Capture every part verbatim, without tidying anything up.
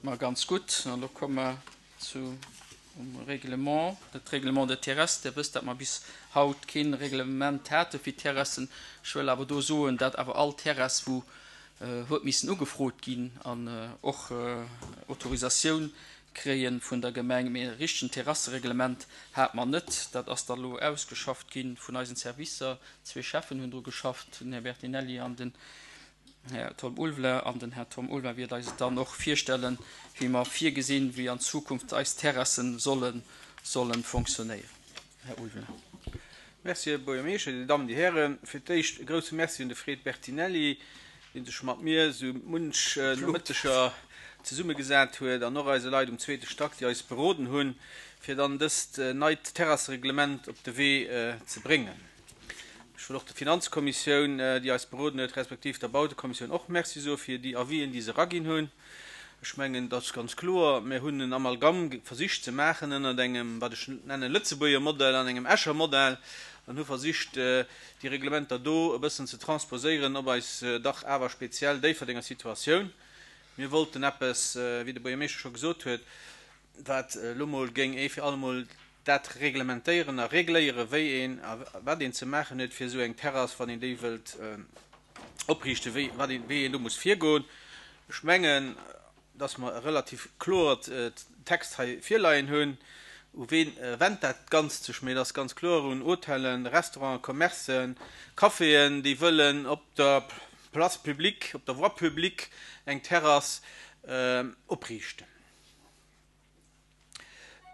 Ma ganz gutt. An elo komme mer zu um Règlement, dat Règlement de terrasse. Dir wësst, datt mer bis haut keen Reglement hate fir Terrassen. Ech wëll awer do soen, datt awer all Terrass, wou huet missen ugefrot ginn an och Autorisatioun kréie vun der Gemeng. Mee e richtegen Terrassereglement hate mer net. Dat ass da lo ausgeschafft gi vun eisen Servicer. Zwee Schäffen hunn dru geschafft, den Här Bertinelli an den Här Tom Ulveler. An den Här Tom Ulveler wäert eis et dann och virstellen, wéi mer virgesinn, wéi an Zukunft eis Terrassen solle solle fonctionnéieren. Här Ulveler. Merci, Här Buergermeeschter, Dir Dammen, Dir Hären. Fir d'éischt e grouse Merci un de Fred Bertinelli, dee sech mat mir esou munch Nomëtteger zesummegesat huet, an och eise Leit um zweete Stack, déi eis beroden hunn, fir dann dëst neit Terrassereglement op de Wee ze bréngen. Ech wëll och der Finanzkommissioun, déi eis beroden huet, respektiv der Bautekommissioun och Merci soe fir déi Avisen, déi se eraginn hunn. Ech mengen, et ass ganz kloer, mir hunn en Amalgam versicht ze maachen ënnert engem, wat ech nennen, Lëtzebuerger Modell an engem Escher Modell, an hu versicht, déi Reglementer do e bëssen ze transposéieren op eis dach awer speziell Déifferdenger Situatioun. Mir wollten eppes, wéi de Buergermeeschter scho gesot huet, wat elo mol géing ee fir allemol dat reglementéieren a regléieren, wéi een a wat een ze maachen huet fir esou eng Terrass, wann een déi wëllt opriichten, wéi, wat een, wéi een do muss virgoen. Ech mengen, dass mer e relativ kloert Text hei virleien hunn. U ween wennt dat Ganzt sech? Mee et ass ganz kloer un Hotellen, Restauranten, Commercen, Caféen, déi wëllen op der Place publique, op der Voie publique eng Terrass opriichten.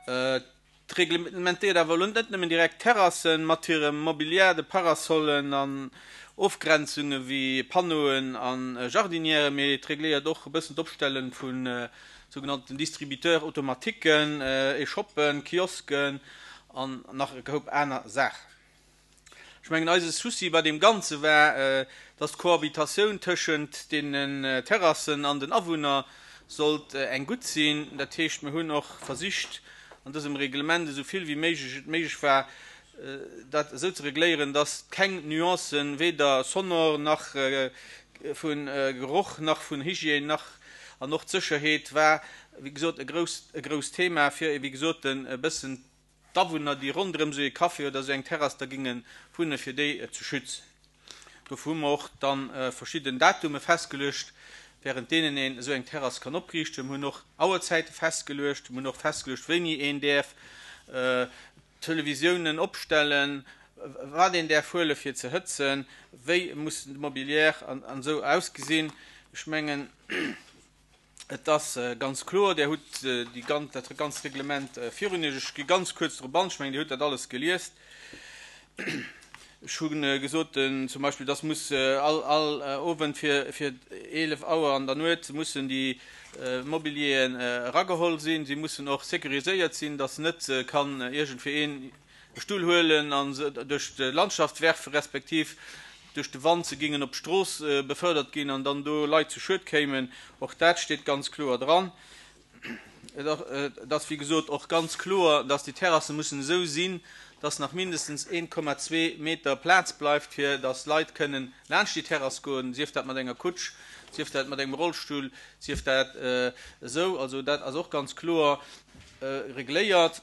Et reglementéiert awer elo net nëmmen direkt Terrassen mat hirem Mobiliar, de Parasollen an Ofgrenzunge wéi Panneauen a Jardinièren, mee et regléiert och e bëssen d'Opstelle vu sougenannten Distributeurs automatiquen, Echoppen, Kiosken an nach e Koup aner Saachen. Ech mengen, eise Souci bei deem Ganze war, dass d'Cohabitatioun tëschent deenen Terrassen an den Awunner sollt eng gutt sinn. Dat heescht, mir hunn och versicht, an dësem Reglement esou vill wéi méiglech et méiglech war, dat esou ze regléieren, dass keng Nuancen, weder sonor nach vu Geroch nach vun Hygiène nach an och d'Sécherheet war, wéi gesot, e grousst, e grousst Thema, fir, wéi gesot, e bëssen d'Awunner, déi ronderëm esou ee Café oder esou eng Terrass da géinge wunnen, fir déi ze schützen. Dofir hu mer och da verschidden Datume festgeluecht, während deenen een esou eng Terrass kann opriichten. Mir hunn och Auerzäite festgeluecht. Mir hunn och festgeluecht, wéini een däerf Televisiounen opstellen, wat een däerf huele fir ze hëtzen, wéi muss de Mobilier an esou ausgesinn. Ech mengen, et ass ganz kloer, Dir hutt déi ganz, dat ganzt Reglement virun Iech. Ech gi ganz kuerz drop an. Ech mengen, Dir hutt dat alles geliest. Ech hu gesot, zum Beispill, dass muss all, all Owend fir, fir eelef Auer an der Nuet mussen déi Mobilieren erageholl sinn. Si mussen och sécuriséiert sinn, dass net kann iergendwéi een e Stull huelen a se duerch d'Landschaft werfen, respektiv duerch de Wand se gingen op d'Strooss befördert ginn an dann do Leit zu Schued kéimen. Och dat steet ganz kloer dran. Et ass, wéi gesot, och ganz kloer, dass déi Terrasse mussen esou sinn, dass nach mindestens een Komma zwee Meter Plaz bleift, fir dass Leit kënnen laanscht déi Terrass goen, sief dat mat enger Kutsch, sief dat mat engem Rollstull, sief dat esou. Also dat ass och ganz kloer regléiert.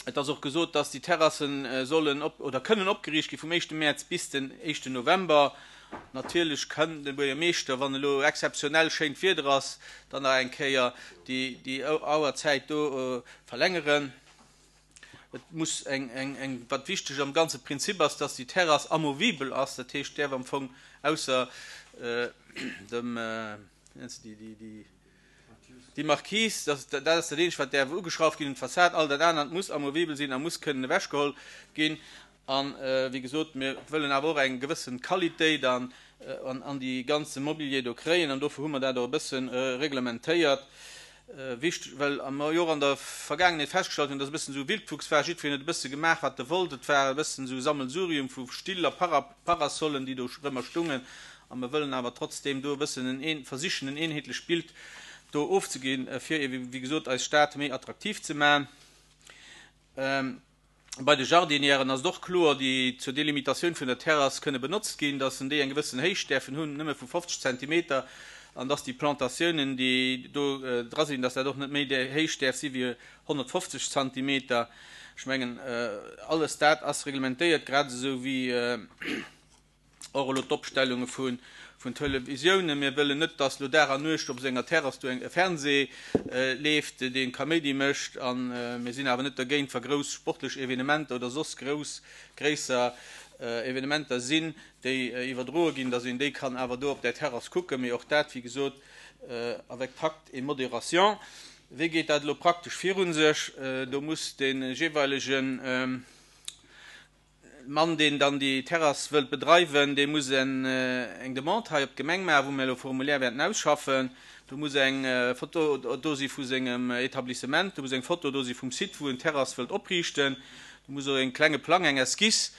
Et ass och gesot, dass déi Terrassen sollen op oder kënnen opgeriicht gi vum éischte Mäerz bis den éischten November. Natierlech kann de Buergermeeschter, wann elo exzeptionell schéint Wieder ass, dann nach eng Kéier déi déi Auerzäit do verlängeren. Et muss eng eng eng wat wichteg am ganze Prinzip ass, dass déi Terrass amovibel ass. Dat heescht, däerf am Fong ausser dem, wéi nennt se déi, déi déi déi Marquise, dat dat ass dat eenzegt, wat däerf ugeschrauft ginn un d'Fassad. All dat anert muss amovibel sinn a muss kënnen ewechgeholl ginn. An, wéi gesot, mir wëllen awer och eng gewësse Qualitéit an an déi ganze Mobilier do kréien an dofir hu mer dat och e bësse reglementéiert. Wichteg, well mer jo och an der Vergaangenheet festgestallt hunn, dass e bëssen esou Wildwuchs war, jiddwereen huet e bësse gemaach, wat e wollt. Et war e bëssen esou Sammelsurium vu Still a Parasollen, déi do rëmmer stungen. A mer wëllen awer trotzdeem do e bëssen en een, versichen en eenheetlecht Bild do ofzeginn, fir ebe wéi gesot eis Stad méi attraktiv ze maachen. Bei de Jardinièren ass et och kloer, déi zur Delimitatioun vun der Terrass kënne benotzt ginn, dass en déi eng gewëssen Héicht däerfen hunn, nëmme vu fofzeg Zentimeter, an dass déi Plantatiounen, déi do dra sinn, dass dat och net méi héich däerf si wéi honnertfofzeg Zentimeter. Ech mengen, alles dat ass reglementéiert, grad esou wéi och elo d'Opstellunge vun Televisiounen. Mir wëllen net, dass elo Dag an Nuecht op senger Terrass do e Fernseh leeft, dee Kaméidi mécht. A mir sinn awer net dergéint, wa grouss sportlech Evenementer oder soss grouss, gréisser Evenementer sinn, déi iwwerdroe ginn, dass een déi kann awer do op där Terrass kucken. Mee och dat, wéi gesot, avec tact et modération. Wéi geet dat elo praktesch virun sech? Do muss de jeeweilegen Mann, deen dann déi Terrass wëllt bedreiwen, dee muss eng Demande hei op d'Gemeng maachen, wou mir elo e Formulaire wäerten ausschaffen. Do muss eng Foto do si vu sengem Etablissement, do muss eng Foto do si vum Site, wou en d'Terrass wëllt opriichten, do muss och e klenge Plang, eng Esquisse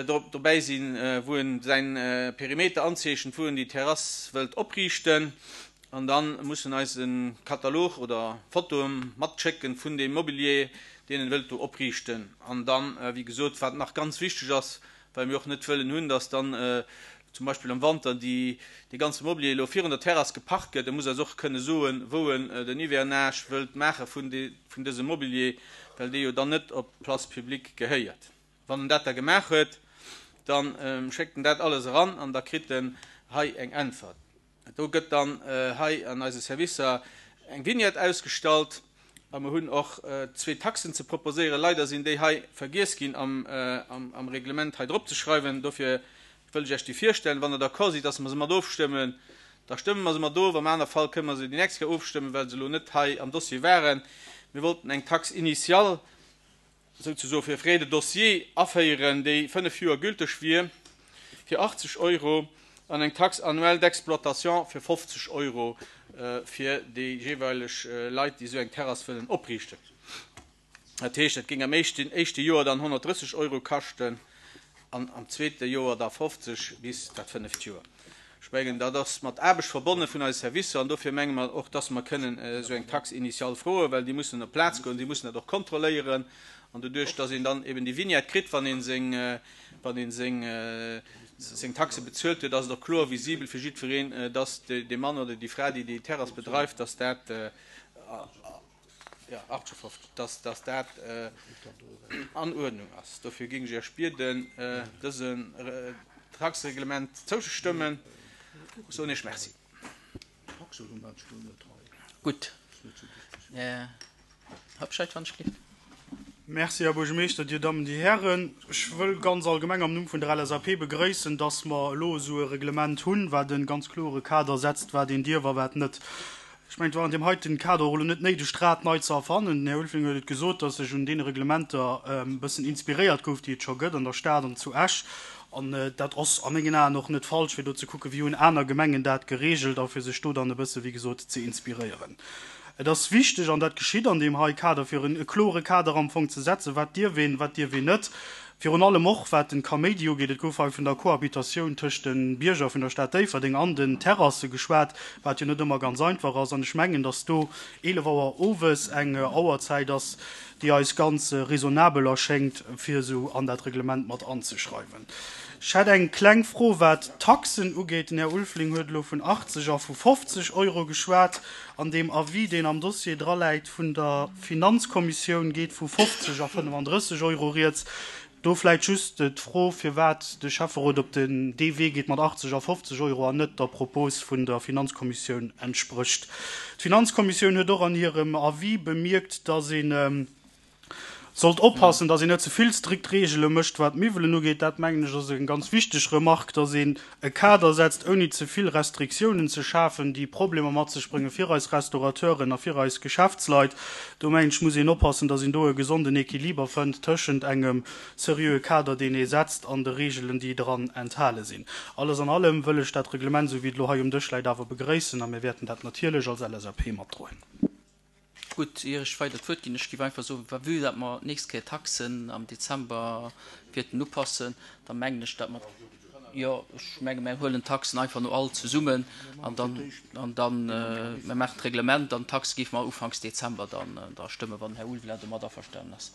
dobäi sinn, wou en säin Perimeter anzeechent, wou en déi Terrass wëllt opriichten. An da muss en eis e Katalog oder Fotoe matschécken vun deem Mobilier, deen en wëllt do opriichten. An dann, wéi gesot, wat nach ganz wichteg ass, well mir och net wëllen hunn, dass dann zum Beispill am Wanter dee ganze Mobilier elo virun der Terrass geparkt gëtt, e muss eis och kënne soen, wou en den Hivernage wëllt maache vun dësem Mobilier, well dee jo dann net op d'Place publique gehéiert. Wann en dat da gemaach huet, da schéckt en dat alles eran an da kritt en hei eng Äntwert. Do gëtt dann hei an eise Servicer eng Vignette ausgestallt a mer hunn och zwee Taxen ze proposéieren. Leider sinn déi hei vergiess ginn am Reglement hei drop ze schreiwen. Dofir wëll ech Iech déi virstellen. Wann Der d'accord sidd, dass mer se mat ofstëmmen, da stëmme mer se mat of. Am aner Fall kënne mer se déi nächst Kéier ofstëmmen, well se elo net hei am Dossier waren. Mir wollten eng Taxe initiale souzesoe fir Frais de dossier aféieren, déi fënnef Joer gülteg wier, fir achtzeg Euro, an eng Taxe annuelle d'exploitation fir fofzeg Euro fir déi jeeweileg Leit, déi esou eng Terrass wëllen opriichten. Dat heescht, dat géing am éischten, éischte Joer dann honnertdrësseg Euro kaschten an am zweete Joer da fofzeg bis dat fënneft Joer. Ech mengen, dat ass mat Aarbecht verbonne vun eise Servicer an dofir menge mer och, dass mer kënnen esou eng Taxe initiale froen, well déi mussen op d'Plaz goen, déi mussen dat och kontrolléieren an doduerch, dass een dann eben déi Vignette kritt, wann een seng, wann een seng, seng Taxe bezuelt huet, ass et och kloer visibel fir jiddwereen, dass dee Mann oder déi Fra, déi déi Terrass bedreift, dass dat, jo, achtundfünfzig, dass, dass dat an Uerdnung ass. Dofir géing ech Iech bieden, dëse Taxereglement zouzestëmmen. Ech soen Iech Merci. Gutt. Här Habscheid, wann ech gleef. Merci, Här Buergermeeschter, Dir Dammen, Dir Hären. Ech wëll ganz allgemeng am Numm vun der L S A P begrëissen, dass mer elo esou e Reglement hunn, wat e ganz klore Kader setzt, wat een dierf a wat net. Ech mengen, et war an deem heiten Kader och elo net néideg, d'Rad nei ze erfannen. Den Här Ulveling huet et gesot, dass sech un deene Reglementer e bëssen inspiréiert gouf, déi et scho gëtt an der Stad an zu Esch. An dat ass a mengen Aen och net falsch, fir do ze kucken, wéi hunn aner Gemengen dat geregelt a fir sech do dann e bësse, wéi gesot, ze inspiréieren. Et ass wichteg, an dat geschitt an deem hei Kader, fir en klore Kader am Fong ze setzen, wat dierf een, wat dierf een net. Virun allem och, wat den Kaméidi ugeet, et gouf hei vun der Kohabitatioun tëscht den Bierger vun der Stad Déifferdeng an den Terrasse geschwat, wat jo net ëmmer ganz einfach ass. An ech mengen, dass do eelef Auer owes eng Auerzäit ass, déi eis ganz raisonnabel erschéngt, fir esou an dat Reglement mat anzeschreiwen. Ech hätt eng kleng Fro, wat d'Taxen ugeet. Den Här Ulveling huet elo vun achtzeg a vu fofzeg Euro geschwat. An deem Avis, deen am Dossier draläit vun der Finanzkommissioun, geet vu fofzeg a fënnefandrësseg Euro rieds. Do vläicht just d'Fro, firwat de Schäfferot op den dee Wee geet mat achtzeg a fofzeg Euro an net der Propos vun der Finanzkommissioun entsprécht. D'Finanzkommissioun huet och an hirem Avis bemierkt, dass een sollt oppassen, dass een net ze vill strikt Reegele mécht, wat d'Miwwelen ugeet. Dat mengen ech ass eng ganz wichteg Remark, dass een e Kader setzt, ouni ze vill Restriktiounen ze schafen, déi Problemer mat sech bréngen fir eis Restaurateuren a fir eis Geschäftsleit. Do mengen ech, muss een oppassen, dass een do e gesonden Equiliber fënnt tëschent engem seriöe Kader, deen ee setzt, an de Reegelen, déi dran enthale sinn. Alles an allem wëll ech dat Reglement, sou wéi et elo hei um Dësch läit, awer begréissen a mir wäerten dat natierlech als L S A P matdroen. Gutt, ier ech weider d'Wuert ginn, ech géif einfach soen, wa vue dat mer d'nächst Kéier Taxen am Dezember wäerten upassen, da mengen ech, dat mer, jo, ech menge, mir huelen d'Taxen einfach no all zesummen an dann, an dann, mir maachen d'Reglement an d'Taxe géife mer ufanks Dezember dann da stëmmen, wann Här Ulveling domat averstanen ass.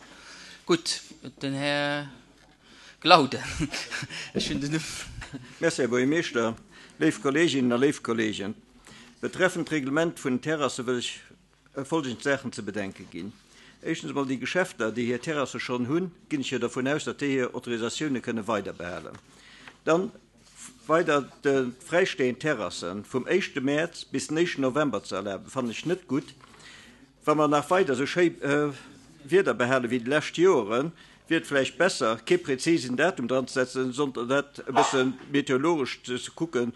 Gutt, den Här Glauden. Ech hunn den Numm. Merci, Här Buergermeeschter, léif Kolleeginnen a léif Kolleegen. Betreffend Reglement vun den Terrasse wëll ech folgend Saachen ze bedenke ginn. Éischtens emol déi Geschäfter, déi hir Terrasse schonn hunn, ginn ech jo dervun aus, datt déi hir Autorisatioune kënne weiderbehalen. Dann weider de fräistehend Terrassen vum éischte Mäerz bis den éischten November ze erlaben, fannen ech net gutt. Wa mer nach weider esou schéi Wieder behale wéi déi lescht Joren, wier et vläicht besser, kee präzisen Datum dran ze setzen, sondern dat e bësse meteorologesch ze kucken,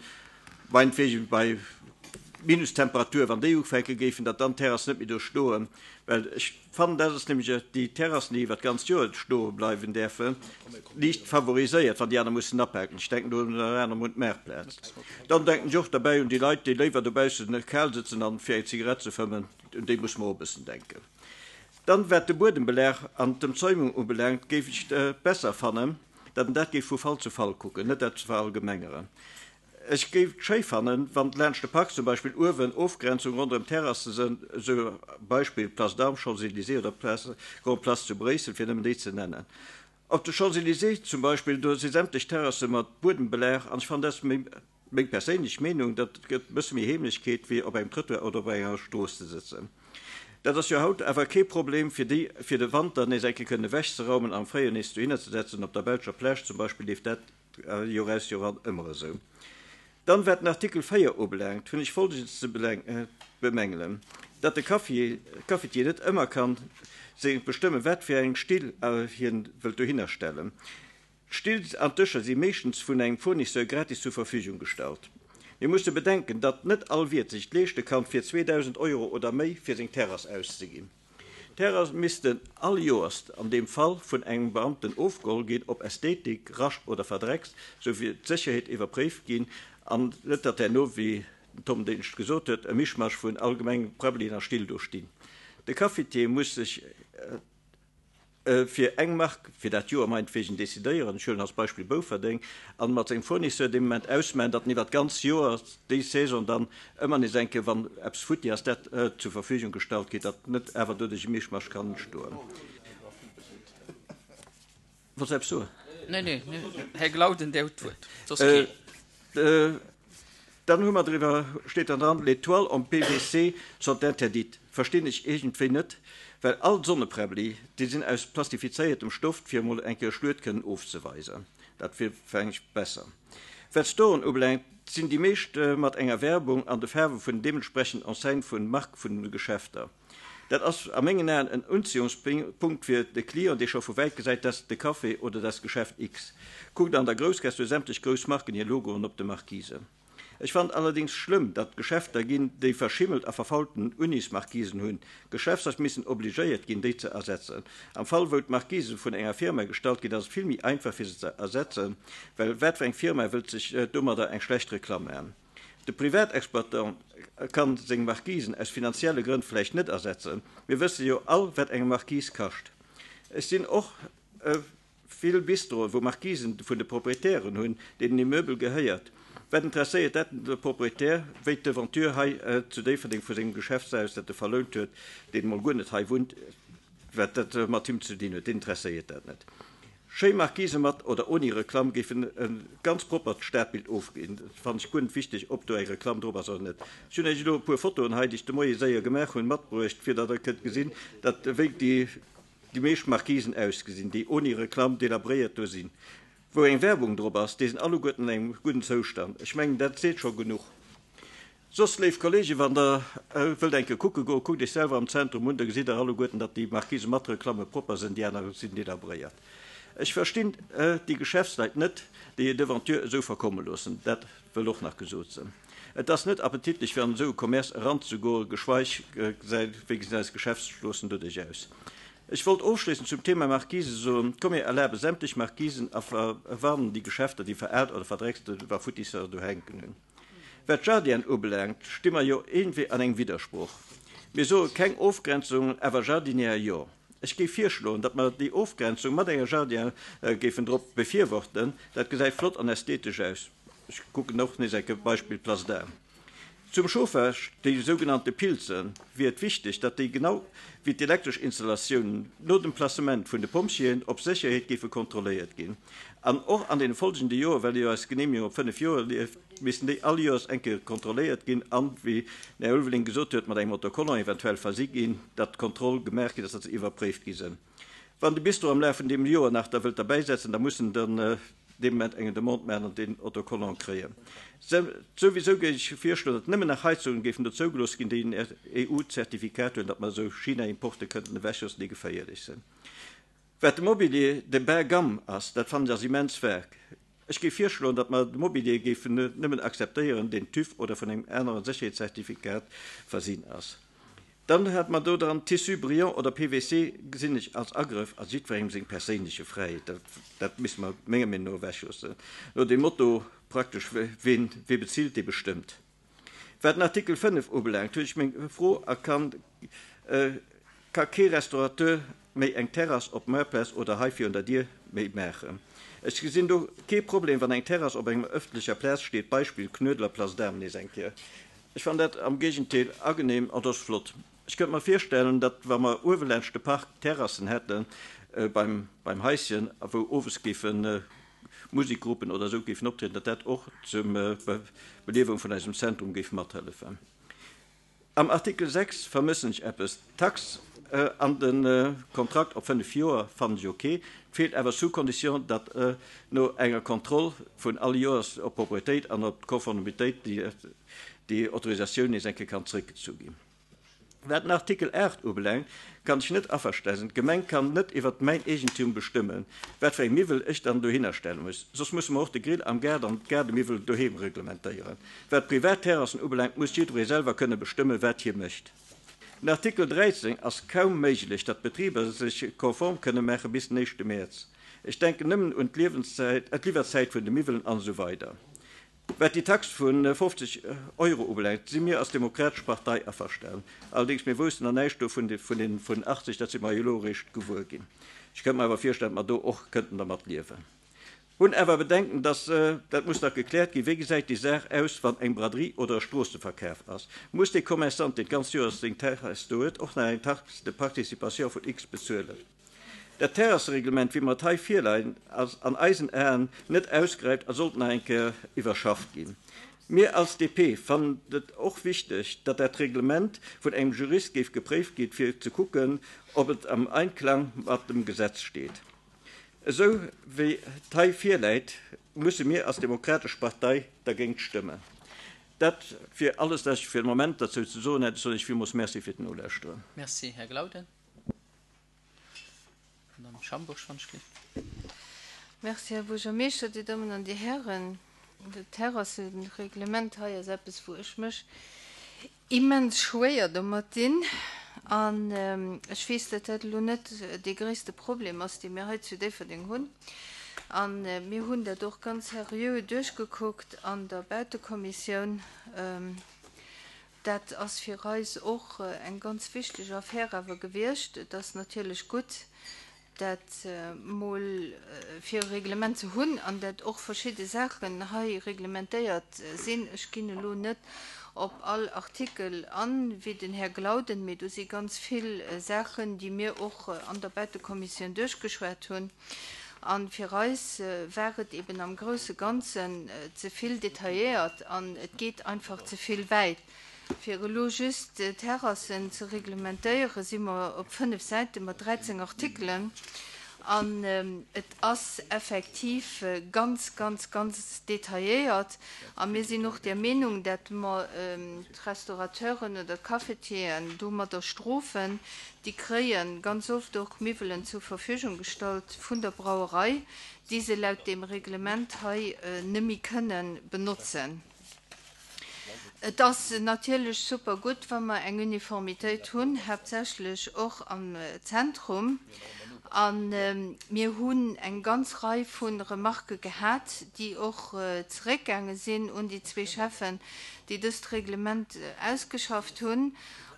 meinetwegen bei Minustemperatur, wann déi ufänke géifen, datt dann d'Terrassen net méi do stoen, well ech fannen, dat ass nämlech déi Terrassen, déi iwwer d'ganzt Joer stoe bleiwen däerfen, liicht favoriséiert, wann déi aner mussen apaken. Ech denken do ënner anerem un d'Maartplaz. Dann denken ech och derbäi un déi Leit, déi léiwer dobaussen kal sëtzen an fir eng Zigarett ze fëmmen, un déi musse mer och e bëssen denken. Dann, wat de Buedembelag an d'Emzäumung ubelaangt, géif ech et besser fannen, datt een dat géif vu Fall zu Fall kucken, net dat ze verallgemengeren. Ech géif et schéi fannen, wann laanscht de Park zum Beispill uewen Ofgrenzung ronderëm d'Terrasse sënn, esou Beispill Place d'Armes, Champs-Élysées oder Place, Grande Place zu Bréissel, fir nëmmen déi ze nennen. Op de Champs-Élysées zum Beispill, do si sämtlech Terrasse mat Buedembelag an ech fannen, dat ass méi, meng perséinlech Meenung, dat gëtt e bësse méi Heemlechkeet, wéi op engem Trëttoir oder op enger Strooss ze sëtzen. Dat ass jo haut awer kee Problem, fir déi fir de Wanter nees eng Kéier kënnen ewechzeraumen an am Fréijoer nees dohinner ze setzen. Op der belscher Plage zum Beispill leeft dat Joer aus Joer an ëmmer esou. Dann, wat den Artikel véier ubelaangt, hunn ech Folgendes ze bemängelen, Datt de Cafetier net ëmmer kann bestëmmen, wat fir eng Still hien wëllt dohinner stellen. D'Still an d'Dëscher si meeschtens vun engem Fournisseur gratis zur Verfügung gestallt. Mir musse bedenken, datt net all Wiert sech et leeschte kann, fir zweedausend Euro oder méi fir seng Terrass auszeginn. D'Terrasse missten all Joers an deem Fall vun engem Beamten ofgeholl ginn, op Ästhetik, Rascht oder verdreckst, sou wéi d'Sécherheet iwwerpréift ginn an net datt herno, wéi den Tom Denisch gesot huet, e Mischmasch vun allgemengem Prabbelien a Still do stinn. De Cafetier muss sech fir eng Mark fir dat Joer meinetwegen decidéieren, ech huelen als Beispill Bouferdeng, an mat sengem Fournisseur dee Moment ausmaachen, datt en iwwer d'ganz Joer, déi Saison dann ëmmer nees eng Kéier, wann eppes futti ass, dat zur Verfügung gestallt kritt, datt net awer doduerch e Mischmasch kann entstoen. Wollt Der eppes soen? Nee, nee, Här Glauden, Dir hutt d'Wuert, soss keen. Dann hu mer driwwer, steet dann dran, les toiles en P V C sont interdites. Verstinn ech iergendwéi net, well all d'Sonnepräbbeli, déi sinn aus plastifizéiertem Stoff, fir emol eng Kéier e Schluet kënnen ofzeweisen. Dat wier vläicht besser. Wat d'Storen ubelaangt, sinn déi meescht mat enger Werbung an de Faarwe vun deementsprechenden Enseigne vun Mark vun de Geschäfter. Dat ass a mengen Aen en Unziehungspunkt fir de Client, dee scho vu wäit gesäit, dat ass de Café oder dat ass Geschäft X. Kuckt an der Groussgaass, do hu sämtlech grouss Marken hir Logoen op de Marquisen. Ech fannen allerdéngs schlëmm, datt Geschäfter ginn, déi verschimmelt a verfaulten Unismarquisen hunn. Geschäftsleit missen obligéiert ginn, déi ze ersetzen. Am Fall wou d'Marquise vun enger Firma gestallt ginn, ass et vill méi einfach fir se ze ersetzen, well wat fir eng Firma wëllt sech domadder eng schlecht Reklamm maachen? De Privatexploitant kann seng Marquisen aus finanzielle Grënn vläicht net ersetzen. Mir wësse jo all, wat eng Marquise kascht. Ech sinn och vill Bistroen, wou Marquisen vun de Proprietären hunn, deenen Immeubel gehéiert. Wat interesséiert dat de Proprietär, wéi d'Devanture hei zu Déifferdeng vu sengem Geschäftshaus, dat e verlount huet, deen emol guer net hei wunnt, wat dat mat him ze dinn huet, deen interesséiert dat net. Schéi Marquise mat oder ouni Reklamm géifen e ganz proppert Stadbild ofginn. Dat fannen ech guer net wichteg, ob do eng Reklamm drop ass oder net. Ech hunn Iech elo e puer Fotoen hei, déi ech de Moie séier gemaach hunn, matbruecht, fir datt Der kënnt gesinn, datt wéi déi meescht Marquisen ausgesinn, déi ouni Reklamm delabréiert do sinn. Wou eng Werbung drop ass, déi sinn alleguerten an engem gudden Zoustand. Ech mengen, dat seet scho genuch. Soss, léif Kollegen, wann Der wëllt eng Kéier kucke goen, kuckt Iech selwer am Zentrum un, da gesitt Der alleguerten, datt déi Marquise mat Reklamme propper sinn, déi aner sinn delabréiert. Ech verstinn déi Geschäftsleit net, déi hir Devanture esou verkomme loossen. Dat wëll och nach gesot sinn. Et ass net appetitlech, fir an esou e Commerce eranzegoen, geschweig wéi gesinn eis Geschäftsstroossen doduerch aus. Ech wollt ofschléissend zum Thema Marquise soen, Komm mir erlabe sämtlech Marquisen a verwarnen déi Geschäfter, déi veraalt oder verdreckste Wafutisser do hänken hunn. Wat d'Jardinen ubelaangt, sti mer jo iergendwéi an engem Widdersproch. Mir soe keng Ofgrenzungen, awer Jardiniere jo. Ech géif virschloen, datt mer déi Ofgrenzung mat enger Jardinière géifen drop befürworten. Dat gesäit flott an ästhetesch aus. Ech kucken och nees eng Kéier Beispill Place d'Armes. Zum Chauffage, déi sougenannte Pilzen, wier et wichteg, datt déi genau wéi d'elektresch Installatiounen no dem Placement vun de Pompjeeën op Sécherheet géife kontrolléiert ginn. An och an den folgende Joer, well jo eis Geneemegung op fënnef Joer leeft, missten déi all Joers eng Kéier kontrolléiert ginn an, wéi den Här Ulveling gesot huet, mat engem Autocollant eventuell versi ginn, datt d'Kontroll gemaach ginn ass, datt se iwwerpréift gi sinn. Wann de Bistro am Laf vun deem Joer nach da wëllt derbäisetzen, da muss en dann dee Moment eng Demande maachen an deen Autocollant kréien. Souwisou géif ech virschloen, datt nëmmen nach Heizungen géifen do zougelooss ginn, déi en E U-Zertifikat hunn, datt mer esou China-Importe kënnten ewechloossen, déi geféierlech sinn. Wat de Mobilier de bas gamme ass, dat fannen ech ass immens vague. Ech géif virschloen, datt mer de Mobilier géifen nëmmen akzeptéieren, deen TÜV oder vun engem anere Sécherheetszertifikat versinn ass. Dann hat mer do dran Tissu brillant oder P V C gesinn ech als Agrëff a jiddwerengem seng perséinleche Fräiheet. Dat, dat misse mer menger Meenung no ewechloossen. No dem Motto praktesch, wien, wie bezilt, dee bestëmmt. Wat den Artikel fënnef ubelaangt, hunn ech meng Fro a kann, äh, ka kee Restaurateur méi eng Terrass op Moartplaz oder hei virun der Dier méi maachen? Ech gesinn do kee Problem, wann eng Terrass op enger ëffentlecher Plaz steet, Beispill Knuedler Place d'Armes nees eng Kéier. Ech fannen dat am Géigendeel ageneem an dat ass flott. Ech kënnt mer virstellen, datt wa mer uewe laanscht de Park Terrassen hätten äh, beim, beim Haischen, wou owes géifen äh, Musikgruppen oder sou géifen optrieden, datt dat och zum äh, Be Belewung vun eisem Zentrum géif mathëllefen. Am Artikel sechs vermëssen ech eppes. Tax äh, an den äh, Kontrakt op fënnef Joer fannen ech okay, feelt awer sous condition, datt äh, no enger Kontroll vun all Joers op Propretéit an op Konformitéit déi, déi Autorisatioun nees eng Kéier kann zréckgezu ginn. Wat den Artikel aacht ubelaangt, kann ech net averstane sinn. D'Gemeng kann net iwwer mäin Eegentum bestëmmen, wat fir eng Miwwel ech dann dohinner stelle muss. Soss musse mer och de Grill am Gaart an d'Gaardemiwwel doheem reglementéieren. Wat Privatterrassen ubelaangt, muss jidderee selwer kënne bestëmmen, wat hie mécht. Den Artikel dräizéng ass kaum méiglech, datt d'Betriber sech konform kënne maache bis den éischte Mäerz. Ech denken nëmmen un d'Liewenszäit, d'Liwwerzäit vun de Miwwelen an esou weider. Wat déi Tax vun fofzeg Euro ubelaangt, si mir als Demokratesch Partei averstanen. Allerdéngs mir woussten nach näischt do vun de, vun den vun achtzeg, dat si mer jo elo eréischt gewuer ginn. Ech kënnt mer awer virstellen, datt mer do och kënnten dermat liewen. Hunn awer Bedenken, dass, dat muss nach gekläert ginn, wéi gesäit déi Saach aus, wann eng Braderie oder e Stroosseverkaf ass? Muss dee Commerçant, deen d'ganz Joer seng Terrass do huet, och nach eng Taxe de participation vun X bezuelen? Dat Terrassereglement, wéi mer et hei virleien, ass an eisen Aen net ausgeräift a sollt nach eng Kéier iwwerschafft ginn. Mir als D P fannen et och wichteg, datt dat Reglement vun engem Jurist géif gepréift ginn, fir ze kucken, ob et am Einklang mat dem Gesetz steet. Esou wéi et hei virläit, musse mir als Demokratesch Partei dergéint stëmmen. Dat wier alles, wat ech fir de Moment dozou ze soen hätt. Ech soen Iech villmools Merci fir d'Nolauschteren. Merci, Här Glauden. Madame Schambourg von Schlicht. Merci, Här Buergermeeschter, Dir Dammen an Dir Hären. Dat Terrassereglement hei ass eppes, wou ech mech immens schwéier domat dinn. An ech weess, datt dat elo net dee gréisste Problem ass, dee mir hei zu Déifferdeng hunn. An mir hunn dat och ganz seriö duerchgekuckt an der Bautekommissioun. Dat ass fir eis och eng ganz wichteg Affär awer gewiescht. Et ass natierlech gutt, dat mol fir e Reglement ze hunn an dat och verschidde Saachen hei reglementéiert sinn. Ech ginn elo net op all Artikel an, wéi den Här Glauden, mee do si ganz vill Saachen, déi mir och an der Bautekommissioun duerchgeschwat hunn. A fir eis war et eben am grousse Ganzen ze vill detailléiert an et geet einfach ze vill wäit. Fir elo just Terrassen ze reglementéieren, si mer op fënnef Säite mat dräizéng Artikelen. An et ass effektiv ganz, ganz, ganz detailléiert. A mir sinn och der Meenung, datt mer d'Restaurateuren oder d'Cafetieren domadder strofen, déi kréie ganz oft och Miwwelen zur Verfügung gestallt vun der Brauerei, déi se laut deem Reglement hei net méi kënne benotzen. Et ass natierlech super gutt, wa mer eng Uniformitéit hunn, haaptsächlech och am Zentrum. A mir hunn eng ganz Rei vu Remarke gehat, déi och zeréckgaange sinn un déi zwee Schäffen, déi dëst Reglement ausgeschafft hunn.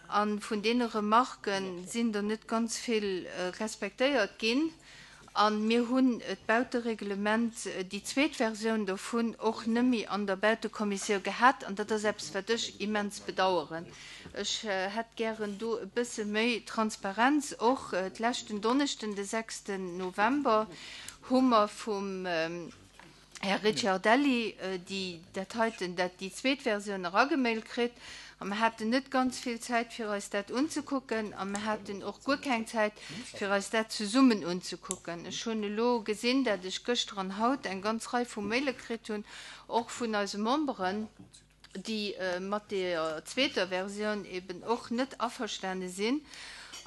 A vun deene Remarke sinn der net ganz vill respektéiert ginn. An mir hunn d'Bautereglement, déi zweet Versioun dovun och net méi an der Bautekommissioun gehat an dat ass eppes, wat ech immens bedaueren. Ech hätt gären do e bësse méi Transparenz. Och d'leschten Donneschden, de sechsten November, hu mer vum Här Ricciardelli déi dat heiten, dat déi zweet Versioun eragemailt kritt. A mer haten net ganz vill Zäit, fir eis dat unzekucken, a mer haten och guer keng Zäit, fir eis dat zesummen unzekucken. Ech hunn elo gesinn, dat ech gëschter an haut eng ganz Rei vu Maile kritt hunn, och vun eise Memberen, déi mat der zweeter Versioun eben och net averstane sinn.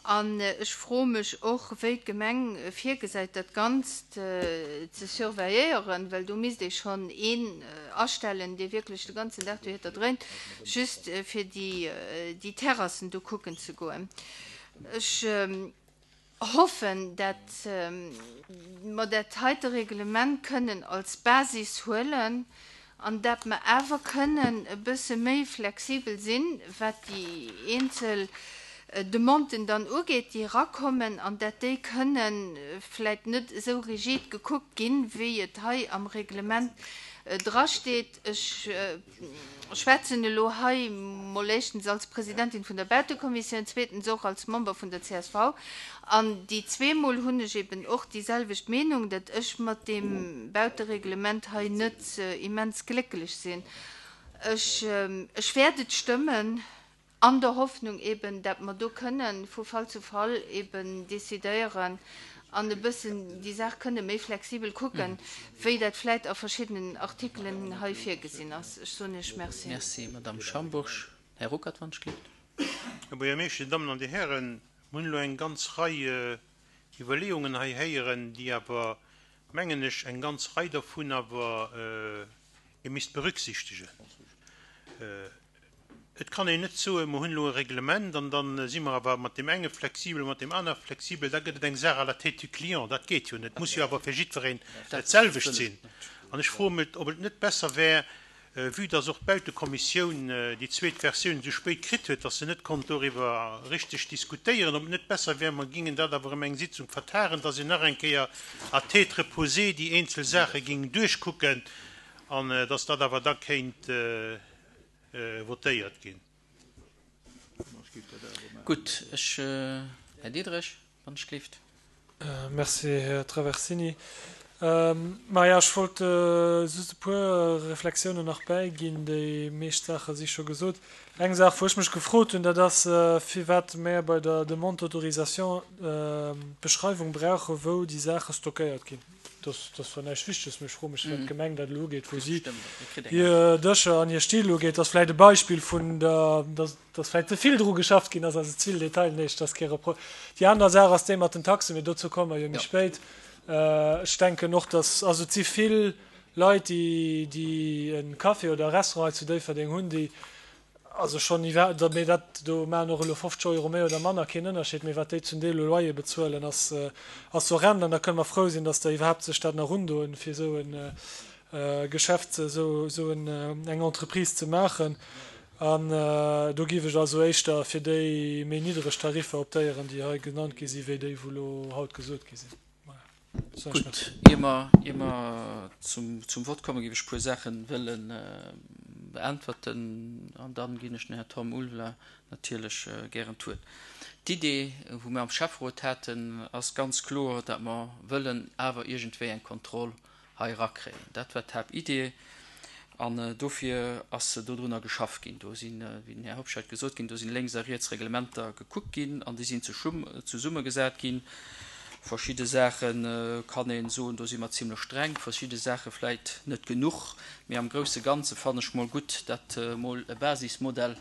An ech froe mech och, wéi d'Gemeng virgesäit, dat Ganzt ze surveilléieren, well do misst ee schonn een astellen, dee wierklech de ganzen Dag dohitter dréint, just fir déi, déi Terrassen do kucken ze goen. Ech hoffen, dat mer dat heite Reglement kënnen als Basis huelen an dat mer awer kënnen e bësse méi flexibel sinn, wat déi eenzel Demanden dann ugeet, déi erakommen, an dat déi kënnen vläicht net esou rigid gekuckt ginn, wéi et hei am Reglement drasteet. Ech schwätzen elo hei mol éischtens als Presidentin vun der Bautekommissioun, zweetens och als Member vun der C S V. An déi zweemol hunn ech eben och déi selwecht Meenung, dat ech mat deem Bautereglement hei net immens glécklech sinn. Ech, ech wäert et stëmmen, an der Hoffnung eben, dat mer do kënnen vu Fall zu Fall eben decidéieren an e bëssen déi Saach kënne méi flexibel kucken, wéi dat vläicht a verschiddenen Artikelen hei virgesinn ass. Ech soen Iech Merci. Merci, Madame Schambourg. Här Ruckert, wann ech gleeft. Här Buergermeeschter, Dir Dammen an Dir Hären, mir hunn elo eng ganz Rei Iwwerleeungen hei héieren, déi awer, mengen ech, eng ganz Rei dovun awer ee misst berücksichtegen. Et kann een net soen, mir hunn elo e Reglement an dann si mer awer mat deem enge flexibel, mat deem anere flexibel, da gëtt et eng Saach à la tête du client. Dat geet jo net. Et muss jo awer fir jiddwereen dat selwecht sinn. An ech froe mech, ob et net besser wär, vue dass och d'Bautekommissioun déi zweet Versioun esou spéit kritt huet, dass se net konnt doriwwer richteg diskutéieren, ob et net besser wär, mer gingen dat awer ëm eng Sitzung vertagen, dass een nach eng Kéier à tête reposée déi eenzel Saache ging duerchkucken an dass dat awer da kéint votéiert ginn. Gutt, ech, Här Diederich, wann ech gleeft. Merci, Här Traversini. Maja, ech wollt just e puer Reflexiounen nach bäiginn, déi meescht Saache si scho gesot. Eng Saach, wou ech mech gefrot hunn, dat ass, firwat mer bei der Demande d'autorisation d'Beschreiwung brauche, wou déi Saache stockéiert ginn. Das, das war näischt Wichteges, mee ech froe mech, wat d'Gemeng dat elo ugeet, wou si hir Dëscher an hir Still ugeet. Das ass vläicht e Beispill vun der, dass, dass vläicht ze vill dru geschafft ginn ass, also ze vill Detail, nee, das ass kee Repro-. Déi aner Saach ass déi mat den Taxen, mee dozou komme mer jo méi spéit. Ech denken och, dass, also et si vill Leit, déi, déi en Café oder e Restaurant hei zu Déifferdeng hunn, déi also schonn iwwer, da, mee dat, do maachen och elo fofzeg Euro méi oder manner keen Ënnerscheed, mee wat déi zum Deel u Loyer bezuelen, ass, ass horrend. An da kënne mer frou sinn, dass der iwwerhaapt sech dat nach undoen, fir esou en Geschäft, esou, esou en, eng Entreprise ze maachen. An do géif ech also éischter fir déi méi niddreg Tariffer optéieren, déi hei genannt gi sinn, wéi déi, wou elo haut gesot gi sinn. Gutt, ier mer, ier mer zum, zum Wort kommen, géif ech e puer Saachen wëllen beäntwerten an dann ginn ech den Här Tom Ulvla natierlech gären d'Wuert. D'Idee, wou mir am Schäfferot haten, ass ganz kloer, dat mer wëllen awer iergendwéi eng Kontroll hei erakréien. Dat war d'Haaptidee an dofir ass dodrunner geschafft ginn. Do sinn, wéi den Här Hobscheit gesot ginn, do sinn lénks a riets Reglementer gekuckt ginn an déi sinn zesummegesat ginn. Verschidde Saache kann een soen, do si mer zimmlech streng, verschidde Saache vläicht net genuch, mee am grousse Ganze fannen ech mol gutt, dat mol e Basismodell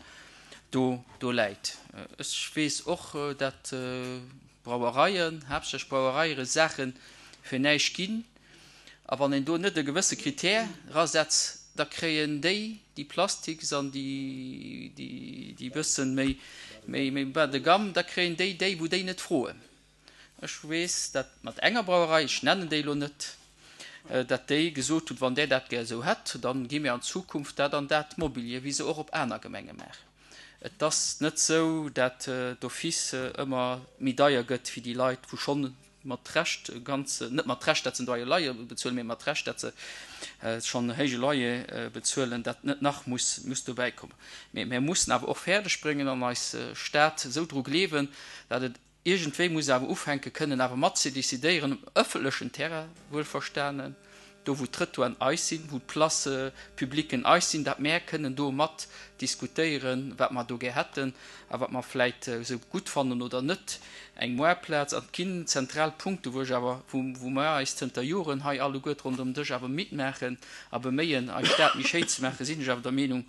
do, do läit. Ech weess och, dat Brauereien, haaptsächlech Brauereie Saache fir näischt ginn, a wann een do net e gewësse Kritär rasetzt, da kréien déi, déi Plastiks an déi, déi, déi bëssen méi, méi, méi bas de gamme, da kréien déi déi, wou déi net froen. Ech weess, dat mat enger Brauerei, ech nennen déi elo net, dat déi gesot huet, wann där dat gär esou hätt, dann gi mir an Zukunft dat an dat Mobilier, wéi se och op aner Gemenge maachen. Et ass net sou, dat d'office ëmmer méi deier gëtt fir déi Leit, wou schonn mat Recht ganz, net mat Recht, dat se en deiere Loyer bezuelen, mee mat Recht, dat se schonn en héije Loyer bezuelen, dat net nach muss, muss dobäi kommen. Mee mir mussen awer och fäerdeg bréngen an eis Stad esou dru gleewen, dat et iergendwéi muss awer ufänke kënnen awer mat ze decidéieren um ëffentlechen Terrain, wuelverstanen, do wou d'Trëttoiren eis sinn, wou d'Places publiquen eis sinn, dat mär kënnen do mat diskutéieren, wat mer do gär hätten a wat mer vläit esou gutt fannen oder net, eng Moartplaz. An et ginn zentral Punkte wou ech awer, wou mer eis zënter Joren hei alleguert ronderëm Dësch awer midd maachen a beméien, eis Stad méi schéin ze maachen, sinn ech awer der Meenung,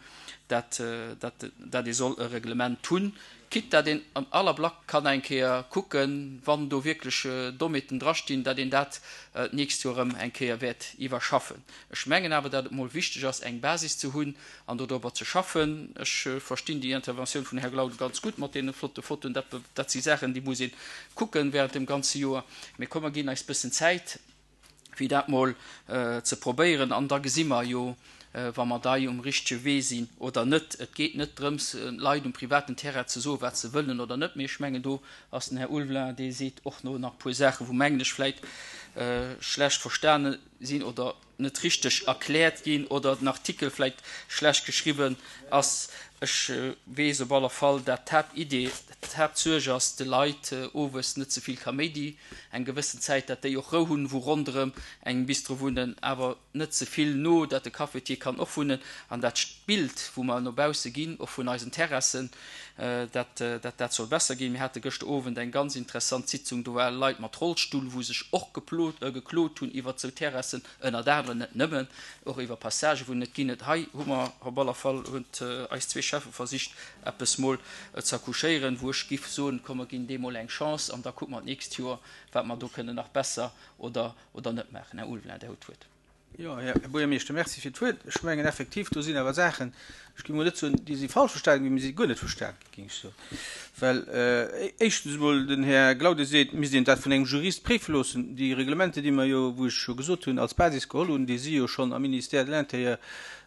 dat dat ee soll e Reglement hunn, quitte dat een an all Ablack kann eng Kéier kucken, wann do wierklech Dommheeten drastinn, dat een dat d'nächst Joer erëm eng Kéier wäert iwwerschaffen. Ech mengen awer, dat et mol wichteg ass, eng Basis ze hunn an dodrobber ze schaffen. Ech verstinn déi Interventioun vun Här Glauden ganz gutt mat deene flotte Fotoen. Dat, dat si Saachen, déi muss ee kucken während dem ganze Joer. Mee komm, mer ginn eis bëssen Zäit, fir dat mol ze probéieren, an da gesi mer jo, wa mer dei um richtege Wee sinn oder net. Et geet net drëms, Leit um privaten Terrain ze soen, wat se wëllen oder net, mee ech mengen, do ass den Här Ulveling, dee seet och no nach e puer Saachen, wou, mengen ech, vläicht schlecht verstane sinn oder net richteg erkläert ginn oder den Artikel vläicht schlecht geschriwwen ass. Ech weess op aller Fall, dat d'Haaptidee, d'Haaptsuerg ass, de Leit owes net ze vill Kaméidi, eng gewëssen Zäit, dat déi och Rou hunn, wou ronderëm engem Bistro wunnen, awer net ze vill no, dat de Cafetier kann och wunnen an dat Bild, wou mer no bausse ginn, och vun eisen Terrassen, dat dat dat soll besser ginn. Mir hate gëschter Owend eng ganz interessant Sitzung, do ware Leit mat Rollstull, wou sech och geplot, geklot hunn iwwert esou Terrassen, ënnert anerem, net nëmmen, och iwwer Passagen, wou net ginn. Et hei hu mer op aller Fall, huet eis zwee Schäffe versicht, eppes mol ze accouchéieren, wou ech giff soen, komm mer ginn deem mol eng Chance an da kucke mer d'nächst Joer, wat mer do kënnen nach besser oder oder net maachen. Här Ulveling, Dir hutt d'Wuert. Jo, Här Buergermeeschter, Merci fir d'Wuert. Ech mengen effektiv, do sinn awer Saachen, ech géing mol net soen, déi si falsch verstanen ginn, mee si guer net verstanen ginn, géing ech soen. Well éischtens emol, den Här Glauden seet, et misst een dat vun engem Jurist préife loossen. Déi Reglementer, déi mer jo, wou ech jo gesot hunn, als Basis geholl hunn, déi si jo schonn am Ministère de l'Intérieur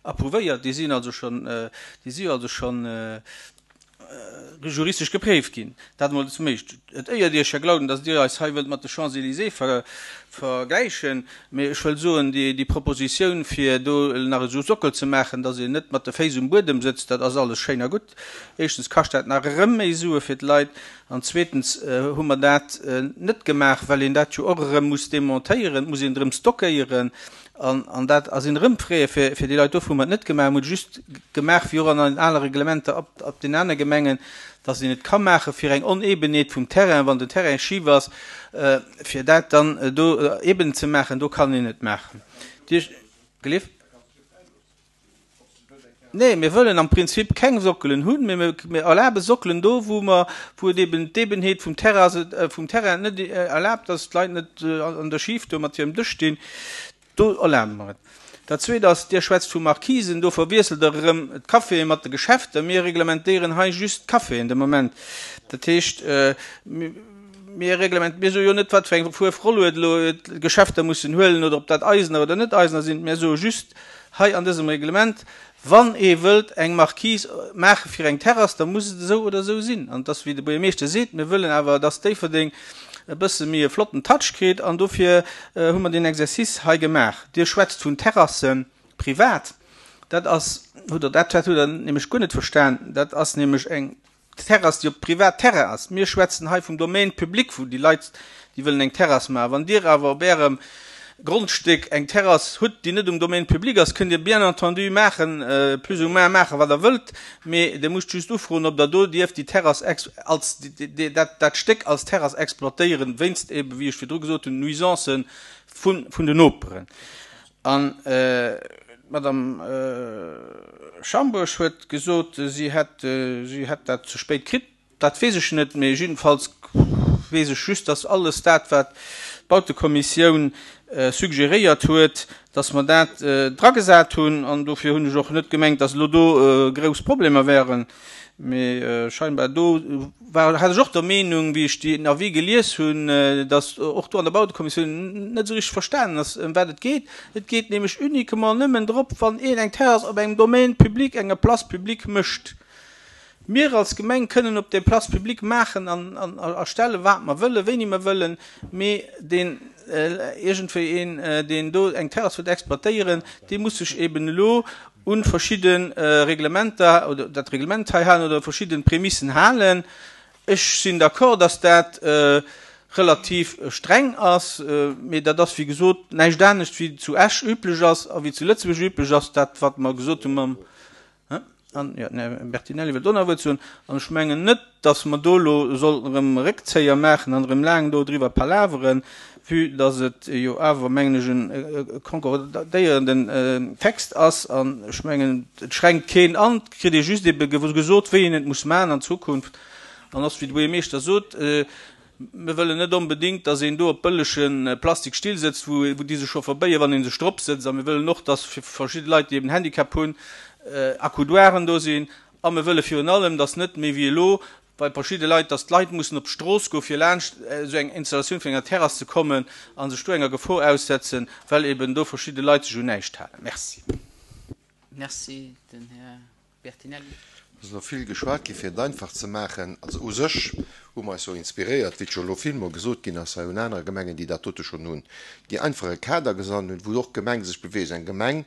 approuvéiert, déi sinn also schonn, déi si jo also schonn juristesch gepréift ginn. Dat emol zum Éischten. Et éiert Iech, Här Glauden, datt Dir eis hei wëllt mat de Champs-Élysées vergläichen, mee ech wëll soen, déi Propositioun, fir do nach esou Sockel ze maachen, datt een net mat de Féiss um Buedem sëtzt, dat ass alles schéin a gutt. Éischtens kascht dat nach erëm méi Sue fir d'Leit an zweetens hu mer dat net gemaach, well een dat jo och erëm muss demontéieren, et muss een erëm stockéieren. An dat ass een erëm Frais fir déi Leit. Dofir hu mer et net gemaach. Mir hunn et just gemaach, wéi och an den anere Reglementer op den anere Gemengen, dass een et ka maache fir eng Onebenheet vum Terrain, wann den Terrain schif ass, fir dat dann do eben ze maachen. Do kann een et maachen. Dir gelift? Nee, mir wëllen am Prinzip keng Sockelen hunn, mee mir erlabe Sockelen do, wou mer, wou et eben d'Ebenheet vum Terrain, vum Terrain net erlaabt, dass d'Leit net an der Schif do mat hirem Dësch stinn. Do erlabe mer et. Dat Zweet ass, Dir schwätzt vu Marquisen, do verwiesselt Der erëm d'Caféë mat de Geschäfter. Mir reglementéieren hei just d'Caféen de Moment. Dat heescht, mir reglement, mir soe jo net, wat fir eng Fuerf Rollued elo d'Geschäfter mussen huelen oder ob dat eisener oder net eisener sinn. Mir soe just hei an dësem Reglement, Wann ee wëllt eng Marquise maache fir eng Terrass, da muss et esou oder esou sinn. An et ass, wéi de Buergermeeschter seet, mir wëllen awer, dass Déifferdeng e bësse méi e flotten Touch kritt an dofir hu mer deen Exercice hei gemaach. Dir schwätzt vun Terrasse privat. Dat ass, hutt Der, dat hutt Der nämlech guer net verstan, dat ass nämlech eng Terrass, déi op Privatterrain ass. Mir schwätzen hei vum Domaine public, wou déi Leit, déi wëllen eng Terrass maachen. Wann Dir awer op Ärem Grondstéck eng Terrass hutt, déi net um Domaine public ass, kënnt Dir bien entendu maachen, plus ou moins maachen, wat Der wëllt, mee Dir musst just ufroen, ob Der do dierft déi Terrass als, dat, dat Stéck als Terrass exploitéieren, wéinst eeben, wéi ech virdru gesot hunn, Nuisancen vun, vun den Noperen. An d'Madame Schambourg huet gesot, si hätt, si hätt dat ze spéit kritt. Dat weess ech net, mee jiddefalls weess ech just, dass alles dat, wat d'Bautekommissioun suggeréiert huet, dass mer dat dragesat hunn. An dofir hunn ech och net gemengt, dass elo do grouss Problemer wären. Mee scheinbar do war, hat ech och der Meenung, wéi ech den Avis gelies hunn, dass och do an der Bautekommissioun net esou richteg verstanen ass, ëm wat et geet. Et geet nämlech uniquement nëmmen drop, wann een eng Terrass op engem Domaine public, enger Place publique mécht. Mir als Gemeng kënnen op der Place publique maachen an, an erstellen, wat mer wëllen, wéini mer wëllen, mee deen äh, iergendwéi een, äh, deen do eng Terrass wëllt exploitéieren, dee muss sech eben elo un verschidden äh, Reglementer oder dat Reglement hei halen oder verschidden Prämissen halen. Ech sinn d'accord, dass dat äh, relativ streng ass, äh, mee dat ass wéi gesot näischt anescht wéi zu Esch üblech ass a wéi zu Lëtzebuerg üblech ass, dat wat mer gesot hu mam an ja, ne, Bertinelli wëllt och nach Wuert soen. An ech mengen net, dass mer do elo sollten erëm Réckzéier maachen an erëm laang do driwwer palaveren, vue dass et jo awer, mengen ech, en konkordéierenden Text ass. An ech mengen, et schränkt keen an, et kritt ee just ebe gesot, wéi een et muss maachen an Zukunft. An ass, wéi de Buergermeeschter sot, Mir wëllen net onbedéngt, dass een do op bëllege Plastikstill sëtzt, wou déi sech scho verbéien, wann ee sech drop sëtzt. A mir wëllen och, dass fir verschidde Leit, déi eben Handicap hunn, Accoudoiren do sinn. A mir wëlle virun allem, dass net méi wéi elo bei verschidde Leit, dass d'Leit mussen op d'Strooss goen, fir laanscht esou eng Installatioun vun enger Terrass ze kommen a sech do enger Gefor aussetzen, well eben do verschidde Leit sech un näischt halen. Merci. Merci. Den Här Bertinelli. Et ass elo vill geschwat gi fir et einfach ze maachen. Also u sech hu mer eis jo inspiréiert, wéi et scho elo villmol gesot ginn ass hei, un anere Gemengen, déi dat dote schonn hunn, déi einfach e Kader gesannt hunn, wou och d'Gemeng sech beweegt. Eng Gemeng